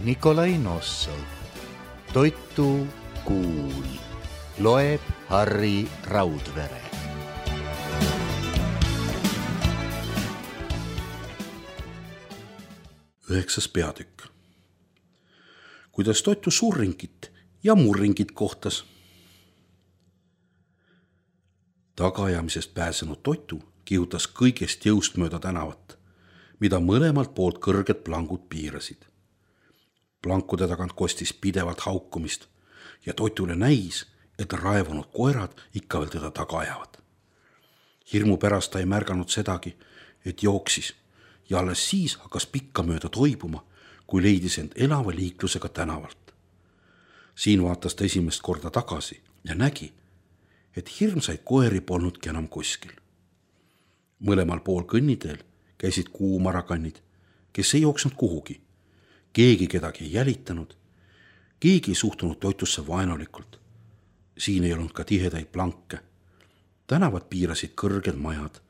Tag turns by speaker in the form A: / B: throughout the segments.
A: Nikolai Nossov. Toitu kuul. Loeb Harri Raudvere.
B: Üheksas peatükk. Kuidas Toitu surringit ja murringit kohtas. Tagaajamisest pääsenud Toitu kihutas kõigest jõust mööda tänavat, mida mõlemalt poolt kõrged plangud piirasid. Plankude tagant kostis pidevalt haukumist ja Toitule näis, et raevunud koerad ikka veel teda taga ajavad. Hirmu pärast ta ei märganud sedagi, et jooksis ja alles siis hakkas pikka mööda toibuma, kui leidis end elava liiklusega tänavalt. Siin vaatas ta esimest korda tagasi ja nägi, et hirmsaid koeri polnudki enam kuskil. Mõlemal pool kõnniteel käisid kuumarakannid, kes ei jooksnud kuhugi. Keegi kedagi ei jälitanud, keegi ei suhtunud Toitusse vaenulikult. Siin ei olnud ka tihedaid planke. Tänavad piirasid kõrged majad,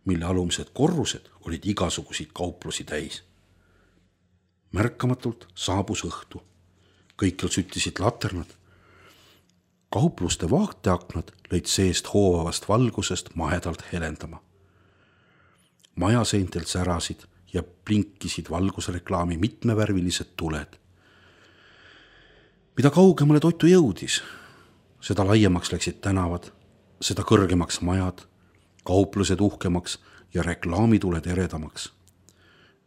B: mille alumised korrused olid igasuguseid kauplusi täis. Märkamatult saabus õhtu. Kõikjal süttisid laternad. Kaupluste vaateaknad lõid seest hoovavast valgusest mahedalt helendama. Majaseintelt särasid ja blinkisid valgusreklaami mitmevärvilised tuled. Mida kaugemale Toitu jõudis, seda laiemaks läksid tänavad, seda kõrgemaks majad, kauplused uhkemaks ja reklaamituled eredamaks.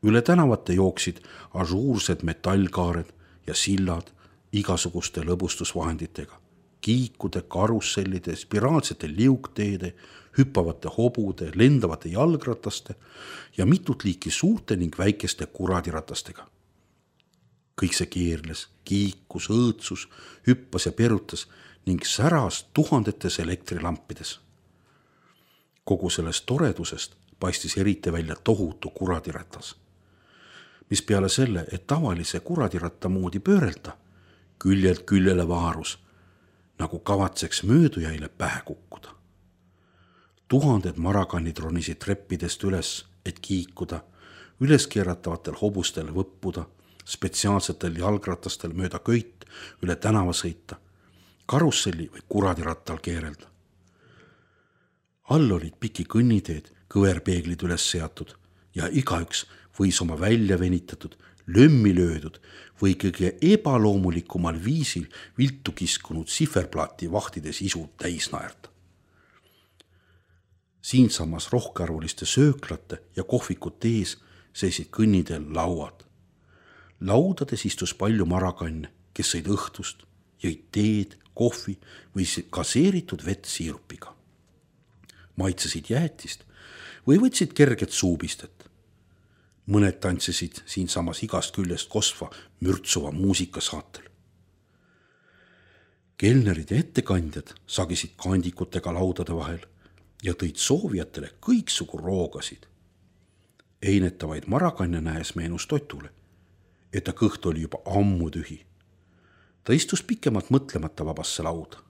B: Üle tänavate jooksid ažuursed metallkaared ja sillad igasuguste lõbustusvahenditega, kiikude, karussellide, spiraalsete liugteede, hüppavate hobude, lendavate jalgrataste ja mitut liiki suurte ning väikeste kuradiratastega. Kõik see keerles, kiikus, õõtsus, hüppas ja perutas ning säras tuhandetes elektrilampides. Kogu sellest toredusest paistis eriti välja tohutu kuradiratas, mis peale selle, et tavalise kuradiratta moodi pöörelda, küljelt küljele vaarus, nagu kavatseks möödujaile pähe kukkuda. Tuhanded marakannid ronisid treppidest üles, et kiikuda, üleskeeratavatel hobustel võppuda, spetsiaalsetel jalgratastel mööda köit üle tänava sõita, karusselli või kuradirattal keerelda. All olid piki kõnniteed, kõverpeeglid üles seatud ja igaüks võis oma välja venitatud, lömmi löödud või kõige ebaloomulikumal viisil viltu kiskunud siferplaati vahtides isu täis naerda. Siinsamas rohkearvuliste sööklate ja kohvikute ees seisid kõnniteel lauad. Laudades istus palju marakanne, kes sõid õhtust, jõid teed, kohvi või gaseeritud vett siirupiga. Maitsesid jäätist või võtsid kerget suupistet. Mõned tantsisid siinsamas igast küljest kosva mürtsuva muusika saatel. Kelnerid ja ettekandjad sagisid kandikutega laudade vahel ja tõid soovijatele kõiksugu roogasid. Einetavaid marakanne näes meenus Toitule, et ta kõht oli juba ammu tühi. Ta istus pikemalt mõtlemata vabasse lauda.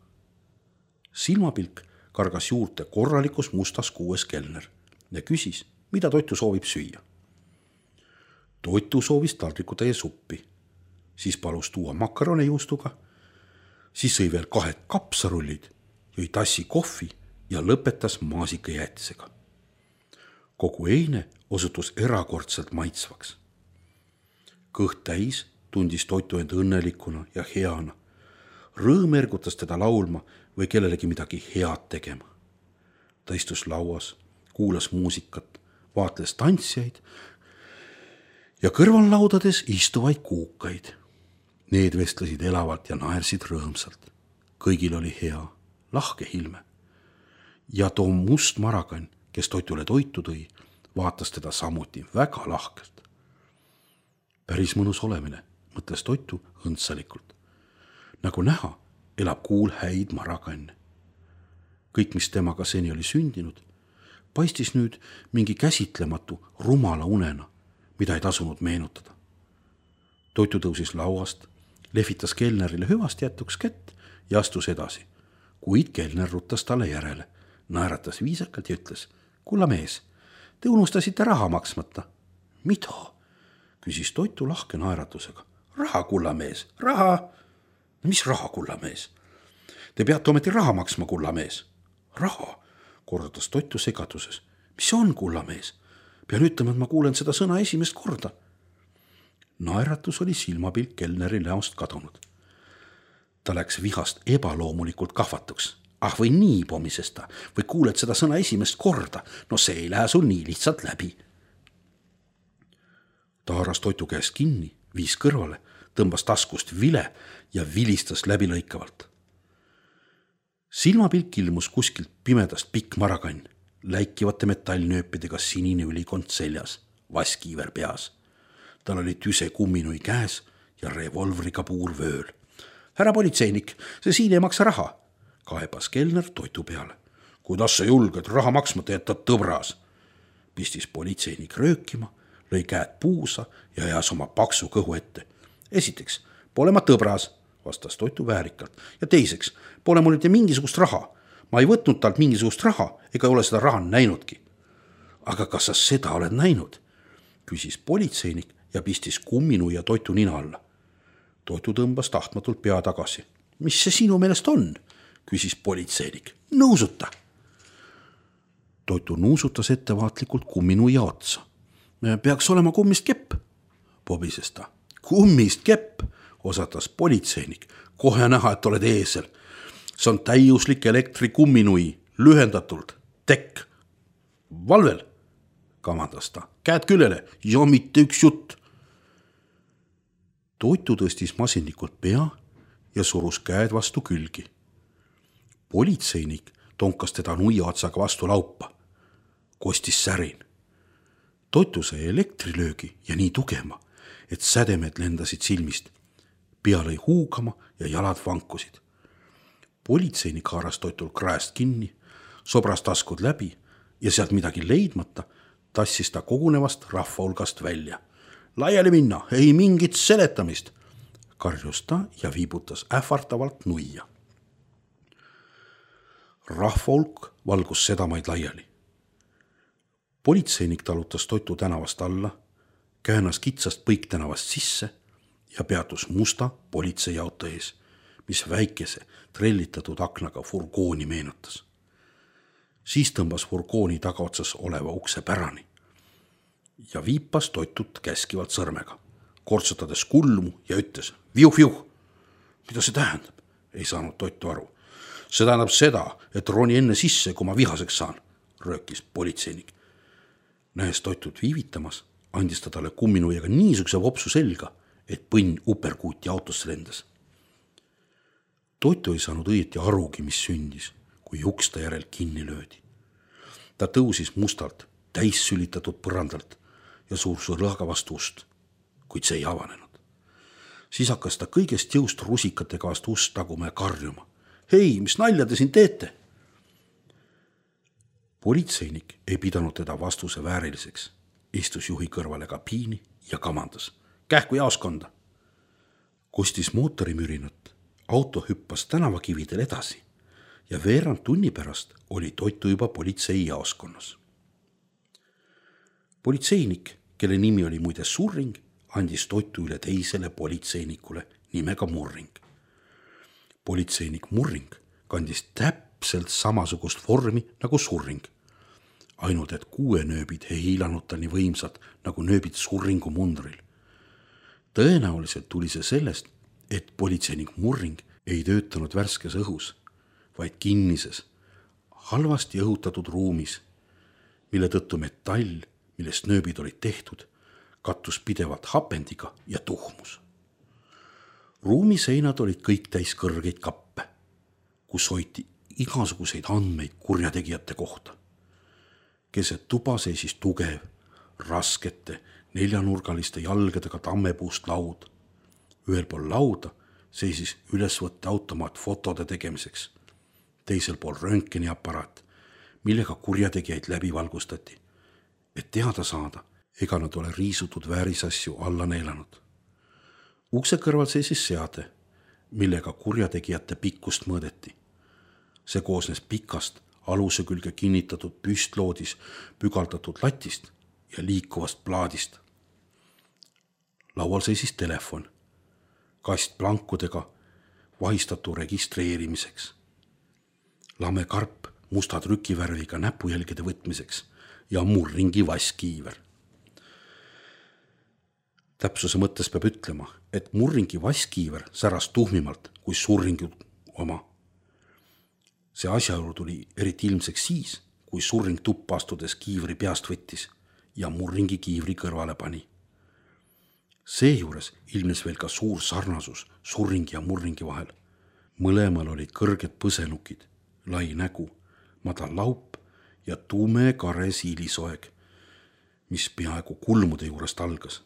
B: Silmapilk kargas juurde korralikus mustas kuues kelner ja küsis, mida Toitu soovib süüa. Toitu soovis taldrikutäie suppi, siis palus tuua makarone juustuga, siis sõi veel 2 kapsarullid, jõi tassi kohvi ja lõpetas maasikajäätisega. Kogu eine osutus erakordselt maitsvaks. Kõht täis tundis Toitu end õnnelikuna ja heana. Rõõm ergutas teda laulma või kellelegi midagi head tegema. Ta istus lauas, kuulas muusikat, vaatles tantsijaid ja kõrvallaudades istuvaid kuukaid. Need vestlesid elavalt ja naersid rõõmsalt. Kõigil oli hea, lahke ilme. Ja too must marakann, kes Toitule toitu tõi, vaatas teda samuti väga lahkelt. Päris mõnus olemine, mõtles Toitu õndsalikult. Nagu näha, elab kuul häid marakanne. Kõik, mis temaga seni oli sündinud, paistis nüüd mingi käsitlematu rumala unena, mida ei tasunud meenutada. Toitu tõusis lauast, lehvitas kelnerile hüvast jätuks kätt ja astus edasi, kuid kelner ruttas talle järele, naeratas viisakalt ja ütles, kulla mees, te unustasite raha maksmata. Mida? Küsis Toitu lahke naeratusega, Raha, kullamees, raha. Mis raha, kullamees? Te peate ometi raha maksma, kullamees. Raha, kordas Toitu segaduses. Mis see on, kullamees? Pean ütlema, et ma kuulen seda sõna esimest korda. Naeratus oli silmapilk kelneri näost kadunud. Ta läks vihast ebaloomulikult kahvatuks. Ah, või nii, pomises ta, või kuuled seda sõna esimest korda. No see ei lähe sul nii lihtsalt läbi. Ta haaras Toitu käest kinni, viis kõrvale, tõmbas taskust vile ja vilistas läbilõikavalt. Silmapilk ilmus kuskilt pimedast pikk marakann, läikivate metallnööpidega sinine ülikond seljas, vaskiiver peas. Tal oli tüse kumminui käes ja revolvriga puur vööl. Härra politseinik, see siin ei maksa raha, kaebas kelner Toitu peale. Kuidas sa julged raha maksmata jätta, tõbras? Pistis politseinik röökima, lõi käed puusa ja ajas oma paksu kõhu ette. Esiteks, pole ma tõbras, vastas Toitu väärikalt, ja teiseks, pole mul mitte mingisugust raha. Ma ei võtnud talt mingisugust raha ega ole seda raha näinudki. Aga kas sa seda oled näinud? Küsis politseinik ja pistis kumminuia Toitu nina alla. Toitu tõmbas tahtmatult pea tagasi. Mis see sinu meelest on? Küsis politseinik. Nõusuta. Toitu nuusutas ettevaatlikult kumminuia otsa. Peaks olema kummist kepp, pobises ta. Kummist kepp, osatas politseinik. Kohe näha, et oled eesel. See on täiuslik elektrikumminui, lühendatult, tekk. Valvel, kamandas ta. Käed küljele ja mitte üks jutt. Toitu tõstis masinlikult pea ja surus käed vastu külgi. Politseinik tonkas teda nuia otsaga vastu laupa. Kostis särin. Toitu sai elektrilöögi ja nii tugema, et sädemed lendasid silmist. Pea lõi huugama ja jalad vankusid. Politseinik haaras Toitul kraest kinni, sobras taskud läbi ja sealt midagi leidmata tassis ta kogunevast rahva hulgast välja. Laiali minna, ei mingit seletamist, karjus ta ja viibutas ähvartavalt nuia. Rahva hulk valgus sedamaid laiali. Politseinik talutas Toitu tänavast alla, käänas kitsast põiktänavast sisse ja peatus musta politseiauto ees, mis väikese trellitatud aknaga furgooni meenutas. Siis tõmbas furgooni tagaotsas oleva ukse pärani ja viipas Toitut käskivalt sõrmega, kortsutades kulmu ja ütles viuh. Mida see tähendab? Ei saanud Toitu aru. See tähendab seda, et roni enne sisse, kui ma vihaseks saan, röökis politseinik. Nähes Toitut viivitamas, andis ta talle kumminuiaga niisuguse vopsu selga, et põnn uperkuuti autosse lendas. Toitu ei saanud õieti arugi, mis sündis, kui uks ta järel kinni löödi. Ta tõusis mustalt, täis sülitatud põrandalt ja suurs lõaga vastu ust, kuid see ei avanenud. Siis hakkas ta kõigest jõust rusikatega vastu ust taguma ja karjuma. Hei, mis nalja te siin teete? Politseinik ei pidanud teda vastuse vääriliseks, istus juhi kõrvale kabiini ja kamandas. Kähku jaoskonda. Kostis mootorimürinat, auto hüppas tänavakividel edasi ja veerand tunni pärast oli Toitu juba politsei jaoskonnas. Politseinik, kelle nimi oli muide Surring, andis Toitu üle teisele politseinikule nimega Murring. Politseinik Murring kandis täpselt samasugust vormi nagu Surring, ainult et kuuenööbid ei hiilanud ta nii võimsad nagu nööbid Surringu mundril. Tõenäoliselt tuli see sellest, et politseinik Murring ei töötanud värskes õhus, vaid kinnises, halvasti õhutatud ruumis, mille tõttu metall, millest nööbid olid tehtud, kattus pidevalt hapendiga ja tuhmus. Ruumi seinad olid kõik täis kõrgeid kappe, kus hoiti igasuguseid andmeid kurjategijate kohta. Keset tuba seisis tugev, raskete, neljanurgaliste jalgadega tammepuust laud. Ühel pool lauda seisis ülesvõtte automaat fotode tegemiseks. Teisel pool röntgeniaparaat, millega kurjategijaid läbi valgustati, et teada saada, ega nad ole riisutud väärisasju alla neelanud. Ukse kõrval seisis seade, millega kurjategijate pikkust mõõdeti. See koosnes pikast, aluse külge kinnitatud püstloodis pügaldatud latist ja liikuvast plaadist. Laual seisis telefon, kast plankudega vahistatu registreerimiseks, lame karp musta trükivärviga näpujälgede võtmiseks ja murringi vasskiiver. Täpsuse mõttes peab ütlema, et murringi vasskiiver säras tuhmimalt kui surringu oma. See asjaolu tuli eriti ilmseks siis, kui surring tuppa astudes kiivri peast võttis ja murringi kiivri kõrvale pani. Seejuures ilmnes veel ka suur sarnasus surringi ja murringi vahel. Mõlemal oli kõrged põsenukid, lai nägu, madal laup ja tume kare siilisoeg, mis peaaegu kulmude juurest algas.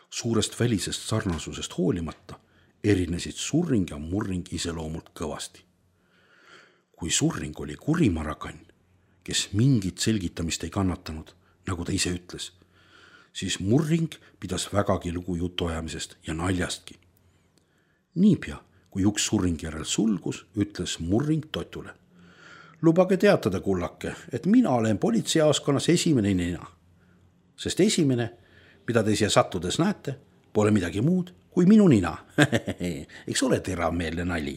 B: Suurest välisest sarnasusest hoolimata erinesid surring ja murring iseloomult kõvasti. Kui surring oli kurimarakann, kes mingit selgitamist ei kannatanud, nagu ta ise ütles, siis murring pidas vägagi lugu jutuajamisest ja naljastki. Niipea, kui üks surringi järel sulgus, ütles murring Totule. Lubage teatada, kullake, et mina olen politseijaoskonnas esimene nina, sest esimene, mida te siia sattudes näete, pole midagi muud kui minu nina. Eks ole teravmeelne nali.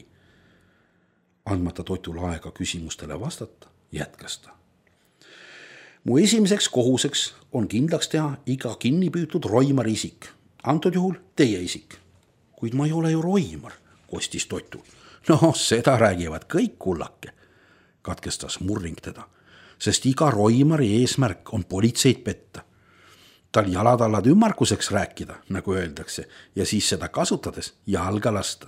B: Andmata Totule aega küsimustele vastata, jätkas ta. Mu esimeseks kohuseks on kindlaks teha iga kinnipüütud roimari isik, antud juhul teie isik. Kuid ma ei ole ju roimar, kostis Totu. No, seda räägivad kõik, kullake, katkestas murring teda, sest iga roimari eesmärk on politseid petta. Tal jalatallad ümmarkuseks rääkida, nagu öeldakse, ja siis seda kasutades jalga lasta.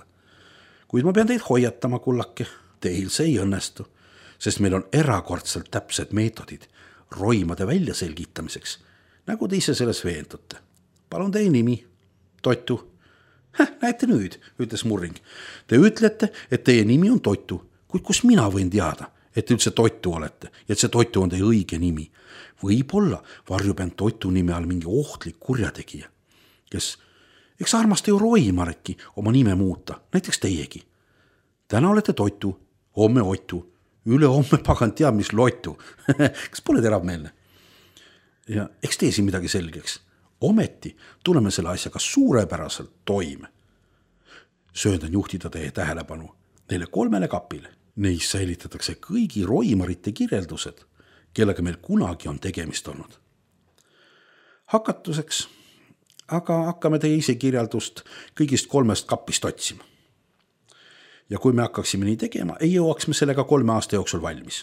B: Kuid ma pean teid hoiatama, kullake, teil see ei õnnestu, sest meil on erakordselt täpsed meetodid roimade väljaselgitamiseks, nagu te ise selles veendute. Palun teie nimi, Totu. Näete nüüd, ütles murring. Te ütlete, et teie nimi on Totu, kuid kus mina võin teada, et üldse Totu olete ja et see Totu on teie õige nimi. Võib-olla varjub end Totu nime all mingi ohtlik kurjategija, kes, eks armasta ju roimareki oma nime muuta, näiteks teiegi. Täna olete Totu, homme Otu, üle homme pagan teab, mis Lotu. Kas pole teravmeelne? Ja eks tee siin midagi selgeks. Ometi tuleme selle asjaga suurepäraselt toime. Sööndan juhtida teie tähelepanu neile 3 kapile. Neis säilitatakse kõigi roimarite kirjeldused, kellega meil kunagi on tegemist olnud. Hakatuseks, aga hakkame teie ise kirjeldust kõigist 3 kapist otsima. Ja kui me hakkaksime nii tegema, ei jõuaks me sellega 3 aasta jooksul valmis.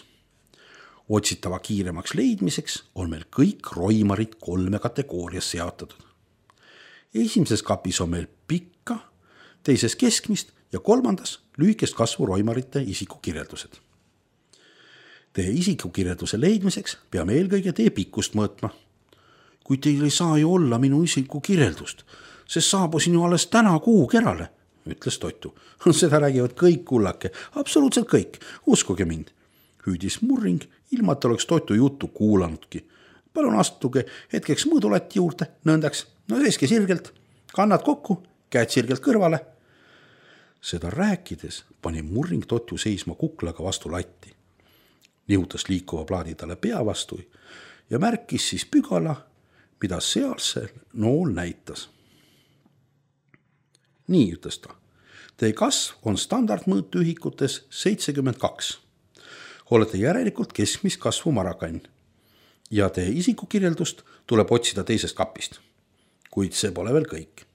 B: Otsitava kiiremaks leidmiseks on meil kõik roimarid 3 kategoorias seotatud. Esimeses kapis on meil pikka, teises keskmist ja 3. lühikest kasvu roimarite isikukirjeldused. Teie isikukirjelduse leidmiseks peame eelkõige teie pikkust mõõtma. Kui teil ei saa ju olla minu isikukirjeldust, sest saabusin ju alles täna Kuukerale, ütles Totu. Seda räägivad kõik, kullake, absoluutselt kõik, uskuge mind. Hüüdis murring, ilma et oleks Totu juttu kuulanudki. Palun astuge hetkeks mõõdulati juurde, nõndaks, no seiske sirgelt, kannad kokku, käed sirgelt kõrvale. Seda rääkides pani murring Totu seisma kuklaga vastu latti. Nihutas liikuva plaadi talle pea vastu ja märkis siis pügala, mida sealsel nool näitas. Nii, ütles ta. Teie kasv on standardmõõtühikutes 72. Olete järelikult keskmist kasvu marakann ja teie isikukirjeldust tuleb otsida teisest kapist. Kuid see pole veel kõik.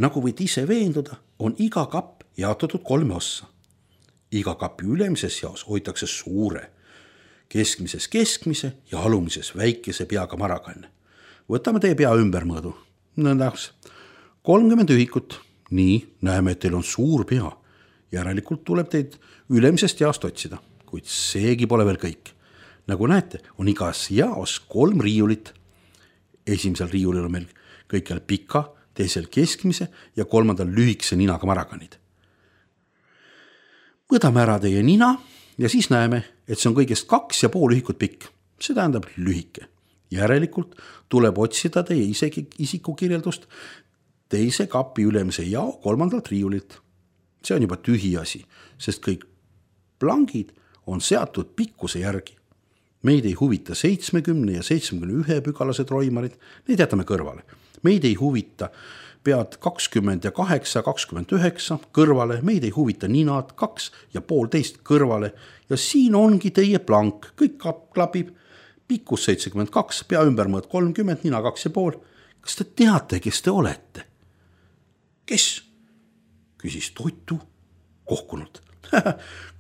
B: Nagu võid ise veenduda, on iga kapp jaotatud 3 ossa. Iga kapi ülemises jaos hoitakse suure, keskmises keskmise ja alumises väikese peaga marakanne. Võtame teie pea ümbermõõdu. Nõndaks 30 ühikut. Nii, näeme, et teil on suur pea. Järelikult tuleb teid ülemisest jaost otsida, kuid seegi pole veel kõik. Nagu näete, on igas jaos 3 riiulit. Esimesel riiulil on meil kõikjal pika, teisel keskmise ja 3. lühikese ninaga marakanid. Võtame ära teie nina ja siis näeme, et see on kõigest 2,5 ühikut pikk. See tähendab lühike. Järelikult tuleb otsida teie isikukirjeldust teise kapi ülemise jao 3. riiulilt. See on juba tühi asi, sest kõik plangid on seatud pikkuse järgi. Meid ei huvita 70 ja 71 pügalased roimarid, neid jätame kõrvale. Meid ei huvita pead 20 ja 8, 29 kõrvale, meid ei huvita ninad 2 ja 1,5 kõrvale ja siin ongi teie plank, kõik klapib, pikkus 72, pea ümbermõõt 30, nina 2,5. Kas te teate, kes te olete? Kes? Küsis Toitu kohkunult.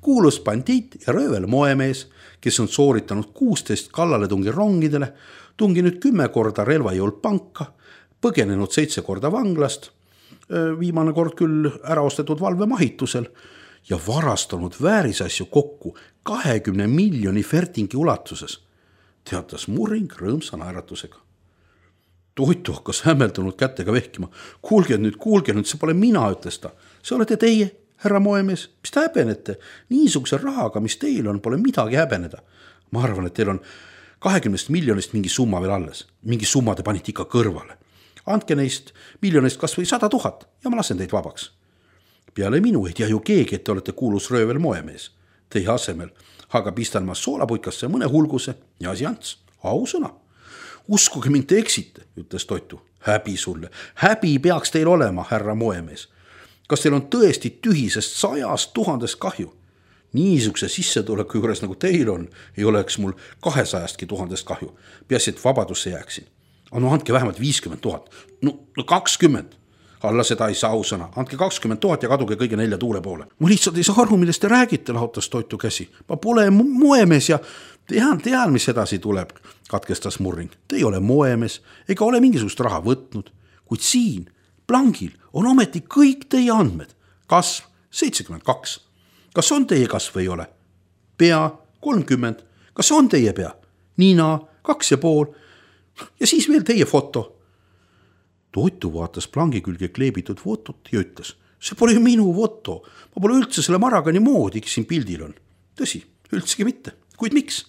B: Kuulus bandiit ja röövel moemees, kes on sooritanud 16 kallaletungi rongidele, tunginud 10 korda relvajõult panka, põgenenud 7 korda vanglast, viimane kord küll ära ostetud valvemahitusel ja varastanud väärisasju kokku 20 miljoni fertingi ulatuses, teatas Murring rõõmsa naeratusega. Toitu hakkas hämmeldunud kätega vehkima. Kuulge nüüd, see pole mina, ütles ta. See olete teie, härra moemees, mis te häbenete? Niisuguse rahaga, mis teil on, pole midagi häbeneda. Ma arvan, et teil on 20 miljonist mingi summa veel alles. Mingi summa te panite ikka kõrvale. Andke neist miljonist kas või 100 000 ja ma lasen teid vabaks. Peale minu ei tea ju keegi, et te olete kuulus röövel moemees. Teie asemel aga pistan ma soolapuikasse mõne hulguse ja asi ants. Ausõna. Uskuge mind, te eksite, ütles Toitu. Häbi sulle. Häbi peaks teil olema, härra moemees. Kas teil on tõesti tühisest 100 000 kahju? Niisuguse sissetuleku juures nagu teil on, ei oleks mul 200 000 kahju. Peaasi, et vabadusse jääksin. No andke vähemalt 50 000. No 20. Alla seda ei saa ausõna. Andke 20 000 ja kaduge kõige 4 tuule poole. Ma lihtsalt ei saa aru, millest te räägite, lahutas Toitu käsi. Ma pole moemees ja tean, mis edasi tuleb, katkestas Murring. Te ei ole moemees ega ole mingisugust raha võtnud, kuid siin plangil on ometi kõik teie andmed. Kasv 72. Kas on teie kasv või ei ole? Pea 30. Kas on teie pea? Nina 2,5. Ja siis veel teie foto. Toitu vaatas plangi külge kleebitud fotot ja ütles, see pole ju minu foto. Ma pole üldse selle maragani moodi, kes siin pildil on. Tõsi, üldsegi mitte. Kuid miks?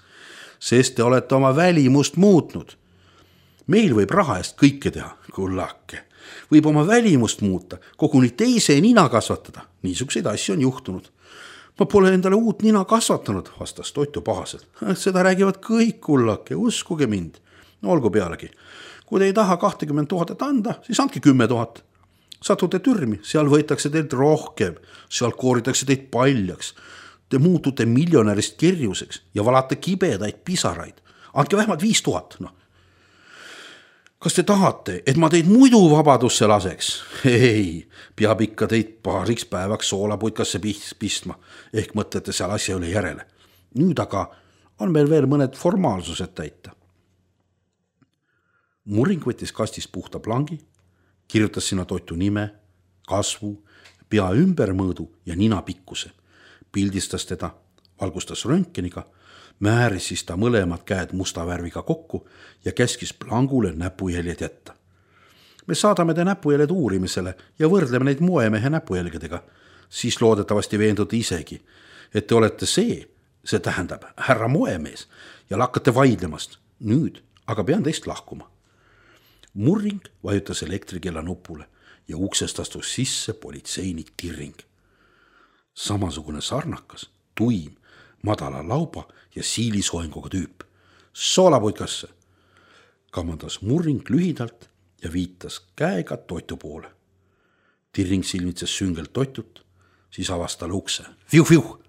B: Sest te olete oma välimust muutnud. Meil võib raha eest kõike teha, kullake. Võib oma välimust muuta, koguni teise nina kasvatada. Niisuguseid asju on juhtunud. Ma pole endale uut nina kasvatanud, vastas Toitu pahaselt. Seda räägivad kõik, kullake, uskuge mind. No olgu pealegi. Kui te ei taha 20 000 anda, siis andke 10 000. Satute türmi, seal võetakse teilt rohkem, seal kooritakse teid paljaks. Te muutute miljonärist kirjuseks ja valate kibedaid pisaraid. Andke vähemalt 5 000. No. Kas te tahate, et ma teid muidu vabadusse laseks? Ei, peab ikka teid paariks päevaks soolapuitkasse pistma, ehk mõtlete seal asja üle järele. Nüüd aga on meil veel mõned formaalsused täita. Murring võttis kastist puhta plangi, kirjutas sinna Toitu nime, kasvu, pea ümbermõõdu ja nina pikkuse. Pildistas teda, valgustas röntgeniga, määris siis ta mõlemad käed musta värviga kokku ja käskis plangule näpujäljed jätta. Me saadame te näpujäljed uurimisele ja võrdleme neid moemehe näpujälgedega. Siis loodetavasti veendute isegi, et te olete see tähendab härra moemees ja lakkate vaidlemast. Nüüd aga pean teist lahkuma. Murring vajutas elektrikella nupule ja uksest astus sisse politseinik Tirring. Samasugune sarnakas, tuim, madala lauba ja siilisoenguga tüüp. Soolapuitkasse, kamandas Murring lühidalt ja viitas käega Toitu poole. Tirring silmitses süngelt Toitut, siis avas talle ukse. Viu!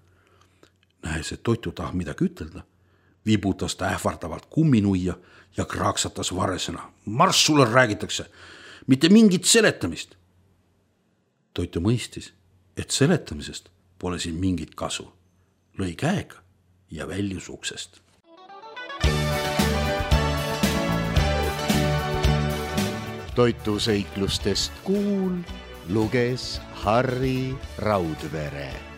B: Nähes, et Toitu tahab midagi ütelda, vibutas ta ähvardavalt kumminuia ja kraaksatas varesena. Marss sulle räägitakse, mitte mingit seletamist. Toitu mõistis, et seletamisest pole siin mingit kasu. Lõi käega ja väljus uksest.
A: Toitu seiklustest kuul luges Harri Raudvere.